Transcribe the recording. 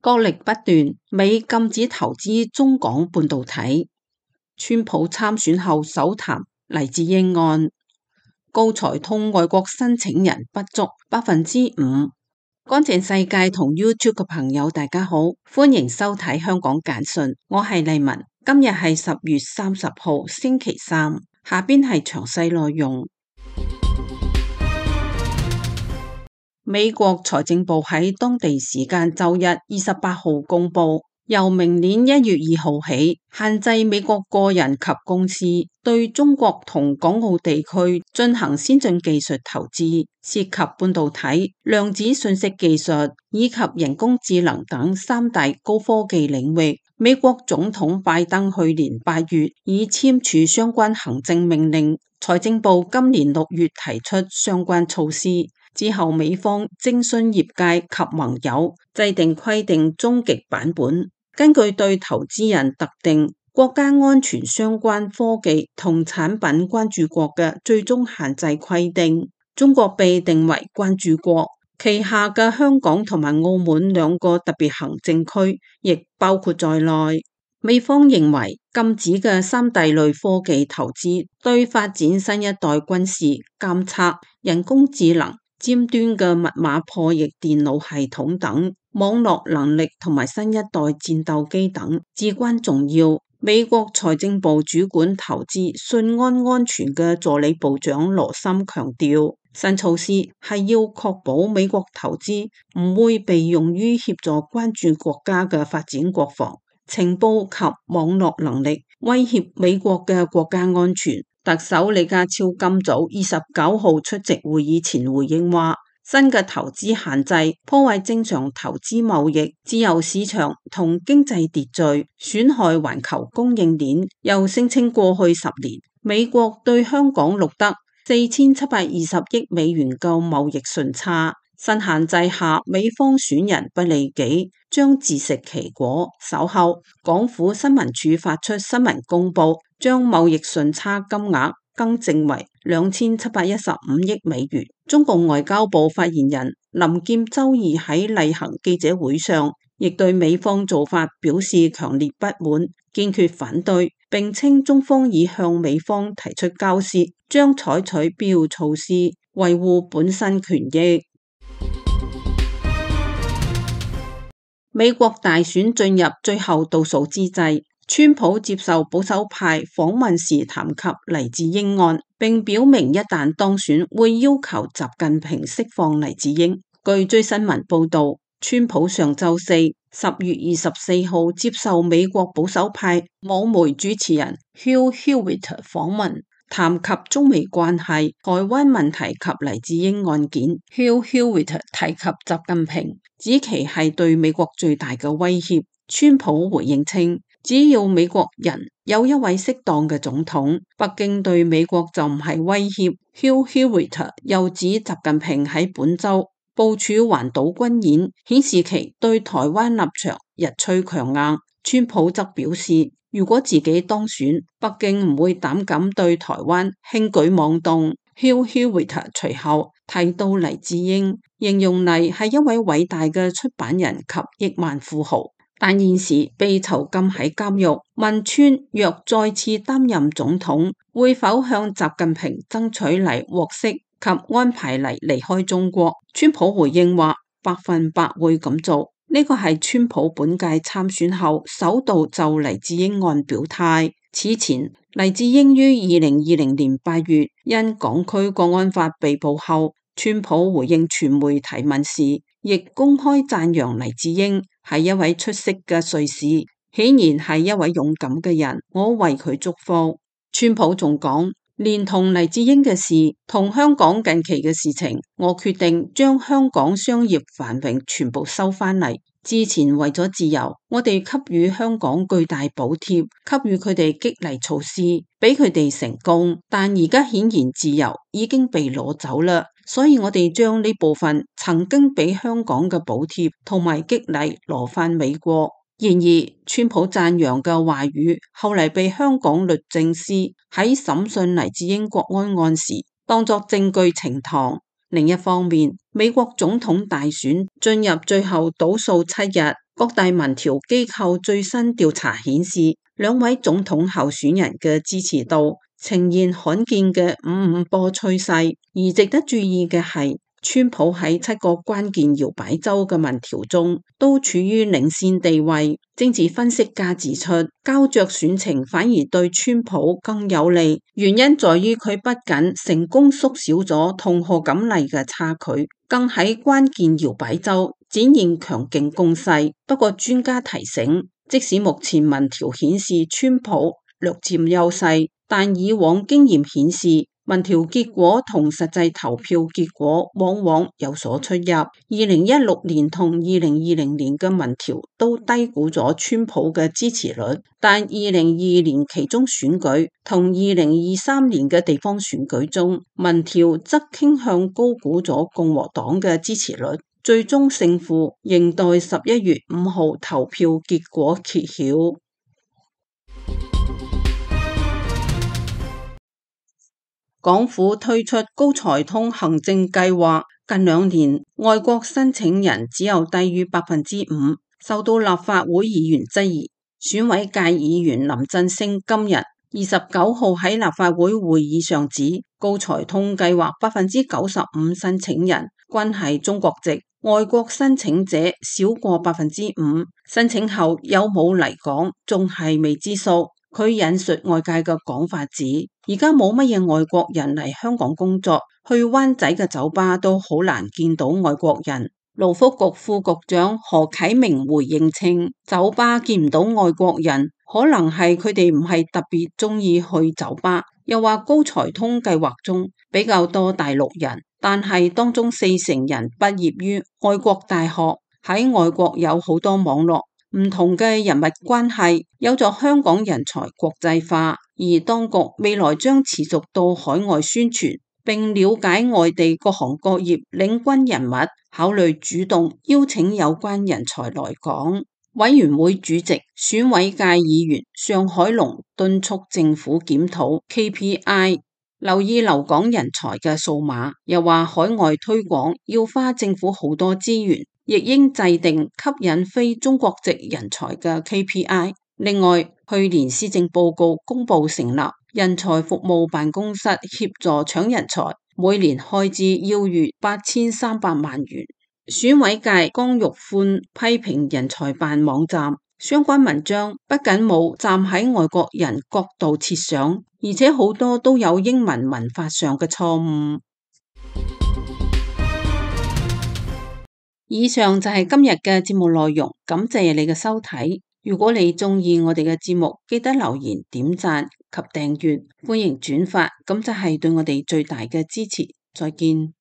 角力不斷，美禁止投資中港半導體。川普參選後首談黎智英案，高才通外國申請人不足5%。乾淨世界同 YouTube 嘅朋友大家好，歡迎收睇香港簡訊，我係麗文。今日係10月30號星期三，下邊係詳細內容。美國財政部喺當地時間周日28號公布，由明年1月2號起，限制美國個人及公司對中國同港澳地區進行先進技術投資，涉及半導體、量子信息技術以及人工智能等3大高科技領域。美國總統拜登去年8月已簽署相關行政命令，財政部今年6月提出相關措施。之後，美方徵詢業界及盟友，制定規定終極版本，根據對投資人特定國家安全相關科技同產品關注國嘅最終限制規定，中國被定為關注國，旗下嘅香港同埋澳門2個特別行政區亦包括在內。美方認為禁止嘅3大類科技投資，對發展新一代軍事、監測、人工智能、尖端嘅密碼破譯電腦系統等網絡能力同埋新一代戰鬥機等至關重要。美國財政部主管投資信安安全嘅助理部長羅森強調，新措施係要確保美國投資唔會被用於協助關注國家嘅發展國防、情報及網絡能力，威脅美國嘅國家安全。特首李家超今早29號出席會議前回應話，新嘅投資限制破壞正常投資貿易、自由市場同經濟秩序，損害環球供應鏈。又聲稱過去10年，美國對香港錄得4720億美元嘅貿易順差。新限制下，美方損人不利己，將自食其果。稍後，港府新聞處發出新聞公佈，將貿易順差金額更正為2715億美元。中共外交部發言人林劍周二喺例行記者會上，亦對美方做法表示強烈不滿，堅決反對，並稱中方已向美方提出交涉，將採取必要措施維護本身權益。美國大選進入最後倒數之際，川普接受保守派訪問時談及黎智英案，並表明一旦當選會要求習近平釋放黎智英。據最新聞報道，川普上週四10月24號接受美國保守派網媒主持人 Hugh Hewitt 訪問，談及中美關係、台灣問題及黎智英案件。Hugh Hewitt 提及習近平，指其係對美國最大嘅威脅。川普回應稱，只要美國人有一位適當嘅總統，北京對美國就唔係威脅。Hugh Hewitt 又指習近平喺本週部署環島軍演，顯示其對台灣立場日趨強硬。川普則表示，如果自己當選，北京唔會膽敢對台灣輕舉妄動。Hugh Hewitt 隨後提到黎智英，形容黎係一位偉大嘅出版人及億萬富豪，但現時被囚禁喺監獄。問川若再次擔任總統，會否向習近平爭取黎獲釋及安排黎離開中國？川普回應話100%會咁做。呢個係川普本屆參選後首度就黎智英案表態。此前，黎智英於2020年8月因港區國安法被捕後，川普回應傳媒提問時，亦公開讚揚黎智英係一位出色嘅帥士，顯然係一位勇敢嘅人，我為佢祝福。川普仲講，連同黎智英嘅事同香港近期嘅事情，我決定將香港商業繁榮全部收返嚟。之前為咗自由，我哋給予香港巨大補貼，給予佢哋激勵措施，俾佢哋成功。但而家顯然自由已經被攞走啦，所以我哋將呢部分曾經俾香港嘅補貼同埋激勵攞返美國。然而，川普讚揚嘅話語後嚟被香港律政司喺審訊黎智英國安案時當作證據呈堂。另一方面，美國總統大選進入最後倒數7日，各大民調機構最新調查顯示，兩位總統候選人嘅支持度呈現罕見嘅五五波趨勢。而值得注意嘅係，川普喺7個關鍵搖擺州嘅民調中都處於領先地位。政治分析家指出，膠着選情反而對川普更有利，原因在於佢不僅成功縮小咗同賀錦麗嘅差距，更喺關鍵搖擺州展現強勁攻勢。不過專家提醒，即使目前民調顯示川普略佔優勢，但以往經驗顯示，民調結果同實際投票結果往往有所出入。2016年同2020年嘅民調都低估咗川普嘅支持率，但2022年期中選舉同2023年嘅地方選舉中，民調則傾向高估咗共和黨嘅支持率。最終勝負仍待11月5號投票結果揭曉。港府推出高才通行政計劃，近2年外國申請人只有低於5%，受到立法會議員質疑。選委界議員林振昇今日29號喺立法會會議上指，高才通計劃95%申請人均係中國籍，外國申請者少過5%，申請後有冇嚟港仲係未知數。佢引述外界嘅講法指，而家冇乜嘢外國人嚟香港工作，去灣仔嘅酒吧都好難見到外國人。勞福局副局長何啟明回應稱，酒吧見唔到外國人，可能係佢哋唔係特別中意去酒吧。又話高才通計劃中比較多大陸人，但係當中40%人畢業於外國大學，喺外國有好多網絡。唔同嘅人脈關係有助香港人才國際化，而當局未來將持續到海外宣傳，並了解外地各行各業領軍人物，考慮主動邀請有關人才來港。委員會主席選委界議員尚海龍敦促政府檢討 KPI， 留意留港人才嘅數碼，又話海外推廣要花政府好多資源，亦應制定吸引非中國籍人才嘅 KPI。另外，去年施政報告公布成立人才服務辦公室，協助搶人才，每年開支要逾8300萬元。選委界江玉歡批評人才辦網站相關文章不僅冇站喺外國人角度設想，而且好多都有英文文法上嘅錯誤。以上就係今日嘅節目內容，感謝你嘅收睇。如果你中意我哋嘅節目，記得留言、點讚及訂閱，歡迎轉發，咁就係對我哋最大嘅支持。再見。